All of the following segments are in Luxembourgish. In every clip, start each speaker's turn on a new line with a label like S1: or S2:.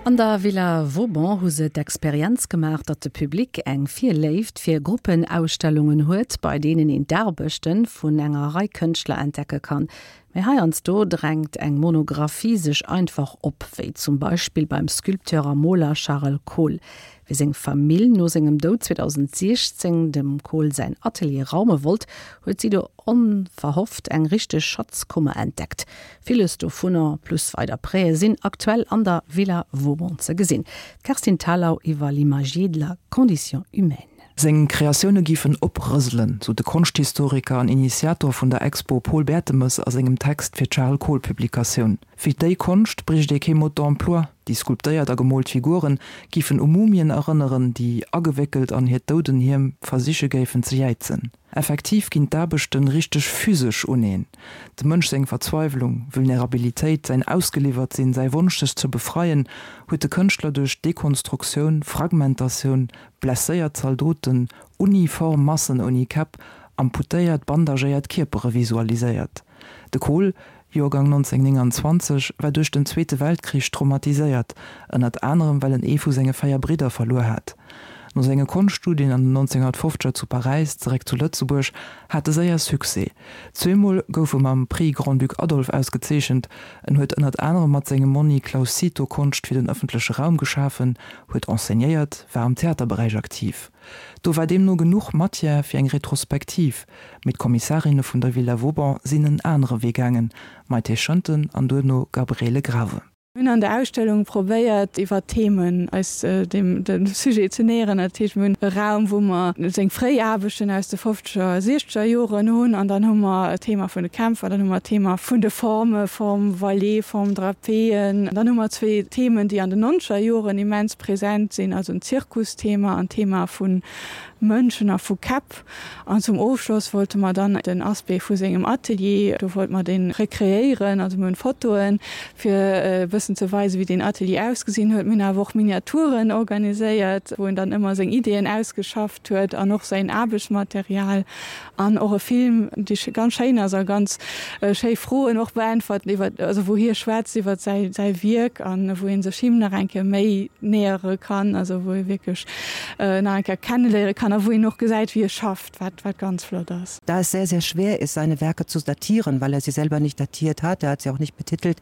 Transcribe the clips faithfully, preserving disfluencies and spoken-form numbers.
S1: An der Villa Vauban hu se d'Experienz gemaach, datt de Public eng Virléift fir Gruppenausstellungen huet, bei deenen een d'Aarbechte vun enger Rei Kënschtler entdecke kann. Mee heiansdo drängt eng Monographie sech einfach op, wéi zum Beispill beim Sculpteur a Moler Charel Kohl. Wéi seng Famill no sengem Doud zweedausentsiechzéng dem Kohl säin Atelier raume wollt, huet si do onverhofft eng richteg Schatzkummer entdeckt. Villes dovunner, plus weider Prêtë sinn aktuell an der Villa Vauban ze gesinn. D'Kerstin Thalau iwwer L'imagier de la condition humaine.
S2: Seng Kreatioune géifen oprëselen, sou de Konschthistoriker an Initiator vun der Expo Paul Bertemes a sengem Text fir d'Charel-Kohl-Publikatioun. Fir déi Konscht bréicht ee kee Mode d'emploi, déi sculptéiert a gemoolt Figure géifen u Mumien erënneren, déi agewéckelt an hiert Doudenhiem versiche géifen ze jäizen. Effektiv ginn d'Aarbechte richteg physesch uneen. Dem Mënsch seng Verzweiwlung, Vulnerabilitéit, säin Ausgeliwwert-Sinn, säi Wonsch sech ze befreien, huet de Kënschtler duerch Dekonstruktioun, Fragmentatioun, blesséiert Zaldoten, uniform Massen ouni Käpp, amputéiert, bandagéiert Kierpere visualiséiert. De Kohl, Joergang nonzénhunnertnénganzwanzeg, war duerch den Zweete Weltkrich traumatiséiert, ënnert anerem well en ee vu senge véier Bridder verluer hat. No senge Konschtstudien an den nonzénhunnertfofzeger zu Paräis, zeréck zu Lëtzebuerg, hat e séier Succès. Zweemol gouf e mam Prix Grand-Duc Adolphe ausgezeechent. En huet ënnert anerem mat sengem Monni Claus Cito Konscht fir den ëffentleche Raum geschafen, huet enseignéiert, war am Theaterberäich aktiv. Do war deemno genuch Matière fir eng Retrospektiv, mee d'Kommissarinne vun der Villa Vauban sinn en anere Wee gaangen, Maïté Schënten an duerno Gabriele Grave.
S3: Mir hunn an der Ausstellung probéiert iwwer Themen eis dem dem Sujet ze näheren. Dat heescht mir hunn e Raum wou mer seng fréi Aarbechten aus de fofzeger, siechzeger Joren hunn an dann hu mer d'Thema vun de Kämpfer, dann hu mer d'Thema vun de Forme, Forme voilée, Forme drapée. Dann hu mer zwee Themen déi an den nonzeger Joren immens present sinn, also en Zirkusthema an d'Thema vu Mënschen a vu Käpp. An zum Ofschloss wollte mer dann den Aspect vu sengem Atelier, do wollte mer dee rekreéieren, also mir hunn Fotoen, fir e bëssen ze weisen, wéi deen Atelier ausgesinn huet. Mir hunn awer och Miniaturen organiséiert, wou en dann ëmmer seng Ideeën ausgeschafft huet an och säin Aarbechtsmaterial an och e Film, dee ganz schéin ass a ganz schéi Froen och beäntwert iwwer, also wou hie schwätzt iwwer säi säi Wierk an wou ee sech him nach eng Kéier méi nähere kann, also wou ee wierklech nach eng Kéier kenneléiere kann a wou een och gesäit, wéi e schafft, wat wat ganz flott ass.
S4: Da es sehr, sehr schwer ist, seine Werke zu datieren, weil er sie selber nicht datiert hat, er hat sie auch nicht betitelt,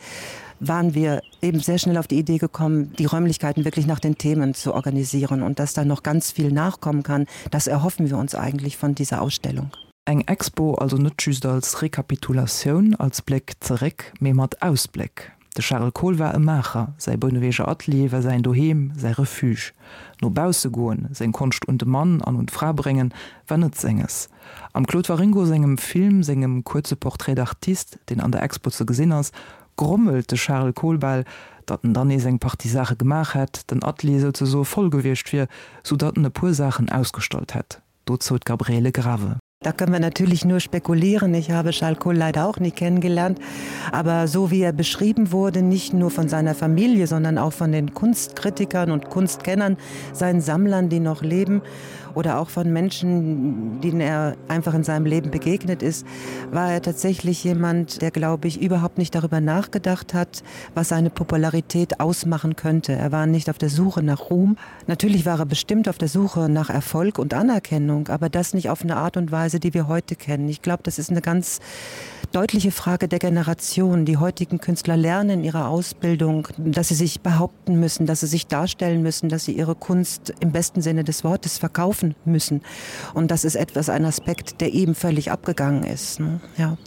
S4: waren wir eben sehr schnell auf die Idee gekommen, die Räumlichkeiten wirklich nach den Themen zu organisieren und dass da noch ganz viel nachkommen kann, das erhoffen wir uns eigentlich von dieser Ausstellung.
S2: Eng Expo also net just als Rekapitulatioun, als Bléck zeréck, mee mat Ausbléck. De Charel Kohl war e Maacher, säi Bouneweger Atelier war säin Doheem, säi Refuge. No bausse goen, seng Konscht un de Mann an un d'Fra bréngen, war net senges. Am Claude Waringo sengem Film, sengem kuerze Portrait d'artiste, deen an der Expo ze gesinn ass, grommelt de Charel Kohl bal, datt en dann nees eng Partie Saache gemaach hätt, den Atelier souzesoe voll gewiescht wier, soudatt en e puer Saachen ausgestallt hätt. Dozou d'Gabriele Grave.
S4: Da können wir natürlich nur spekulieren. Ich habe Charles Kohl leider auch nie kennengelernt. Aber so wie er beschrieben wurde, nicht nur von seiner Familie, sondern auch von den Kunstkritikern und Kunstkennern, seinen Sammlern, die noch leben, oder auch von Menschen, denen er einfach in seinem Leben begegnet ist, war er tatsächlich jemand, der, glaube ich, überhaupt nicht darüber nachgedacht hat, was seine Popularität ausmachen könnte. Er war nicht auf der Suche nach Ruhm. Natürlich war er bestimmt auf der Suche nach Erfolg und Anerkennung, aber das nicht auf eine Art und Weise, die wir heute kennen. Ich glaube, das ist eine ganz deutliche Frage der Generation. Die heutigen Künstler lernen in ihrer Ausbildung, dass sie sich behaupten müssen, dass sie sich darstellen müssen, dass sie ihre Kunst im besten Sinne des Wortes verkaufen müssen. Und das ist etwas ein Aspekt, der eben völlig abgegangen ist. Ne? Ja.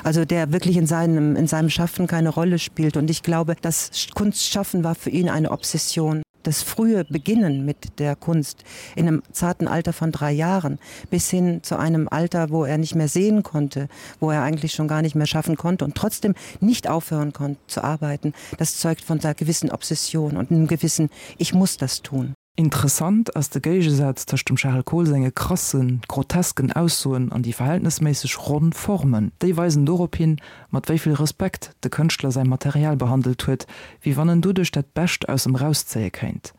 S4: Also der wirklich in seinem, in seinem Schaffen keine Rolle spielt. Und ich glaube, das Kunstschaffen war für ihn eine Obsession. Das frühe Beginnen mit der Kunst in einem zarten Alter von drei Jahren bis hin zu einem Alter, wo er nicht mehr sehen konnte, wo er eigentlich schon gar nicht mehr schaffen konnte und trotzdem nicht aufhören konnte zu arbeiten, das zeugt von einer gewissen Obsession und einem gewissen Ich muss das tun.
S2: Interessant ass de Géigesaz tëscht dem Charel Kohl senge krassen, grotesken Aussoen an déi verhältnesméisseg ronn Formen. Déi weisen dorop hin, mat wéi vill Respekt de Kënschtler säi Material behandelt huet, wéi wann en doduerch dat Bescht aus em rauszéie kéint.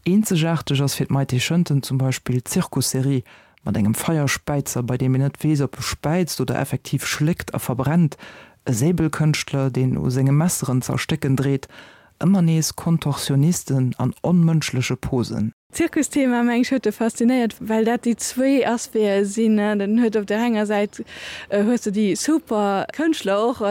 S2: Eenzegaarteg ass fir d'Maïté Schënten zum Beispill d'Zirkusserie mat engem Feierspäizer, bei deem een net weess, ob e späizt oder effektiv schléckt a verbrennt, e Säbelkënschtler, deen u senge Messeren z'erstécken dreet, Ëmmer nees Kontorsionisten an onmënschleche Posen.
S3: Zirkusthema mengen ech huet e faszinéiert, well dat déi zwee Aspecte sinn. Den huet op der enger Säit hues de déi super Kënschtler och,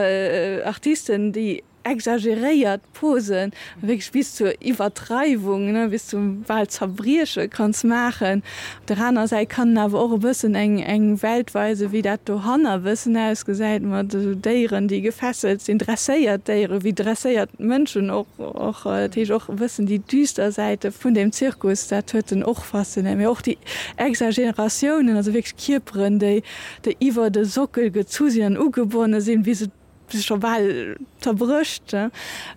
S3: Artisten, déi exageréiert Posen wierklech bis zur Iwwertreiwung, ne, bis zum bal Zerbrieche kanns maachen. Op der aner Säit kann en awer och e bëssen eng eng Welt weisen, wéi dat dohanner e bëssen ausgesäit, mat esou Déieren, déi gefesselt sinn, dresséiert Déieren, wéi dresséiert Mënschen och och. Dat heescht och e bëssen déi düster Säite vun deem Zirkus, dat huet en och faszinéiert. Mee och déi Exageratiounen, also wierklech Kierperen, déi déi iwwer de Sockel gezu sinn an ugebonne sinn, wéi se scho bal zerbrécht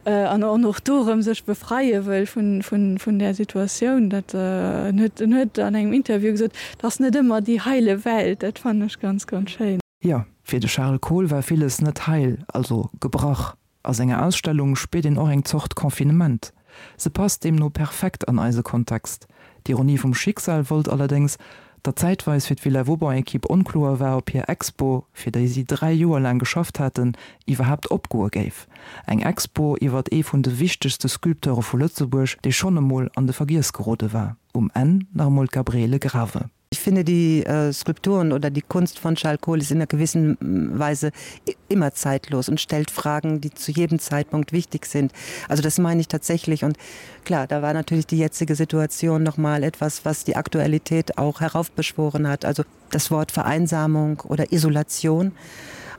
S3: an och do erëm sech befreie wëll vun där Situatioun. Dat en huet en huet an engem Interview gesot, et ass net ëmmer déi heile Welt. Dat fannen ech ganz, ganz schéin.
S2: Jo, fir de Charles Kohl war villes net heil, also gebrach. A senger Ausstellung spiert een och eng Zort Confinement. Se passt deemno perfekt an eise Kontext. D'Ironie vum Schicksal wollt allerdéngs, datt zäitweis fir d'Villa Vauban-Ekipp onkloer war, ob hir Expo, fir déi si dräi Joer laang geschafft haten, iwwerhaapt opgoe géif. Eng Expo iwwert ee vun de wichtegste Sculpteure vu Lëtzebuerg, dee schonn emol an de Vergiess gerode war. Um Enn nach emol d'Gabriele Grave.
S4: Ich finde die äh, Skulpturen oder die Kunst von Charles Kohl ist in einer gewissen Weise immer zeitlos und stellt Fragen, die zu jedem Zeitpunkt wichtig sind. Also das meine ich tatsächlich und klar, da war natürlich die jetzige Situation noch mal etwas, was die Aktualität auch heraufbeschworen hat. Also das Wort Vereinsamung oder Isolation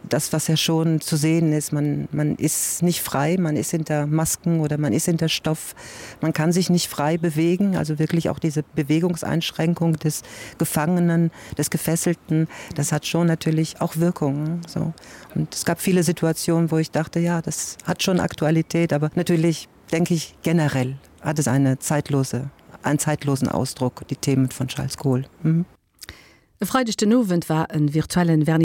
S4: das was ja schon zu sehen ist man man ist nicht frei man ist hinter Masken oder man ist hinter Stoff man kann sich nicht frei bewegen also wirklich auch diese Bewegungseinschränkung des Gefangenen des Gefesselten das hat schon natürlich auch Wirkungen so und es gab viele Situationen wo ich dachte ja das hat schon Aktualität aber natürlich denke ich generell hat es eine zeitlose einen zeitlosen Ausdruck die Themen von Charles Kohl mhm.
S1: E Freideg den Owend war en virtuellen Vernissage.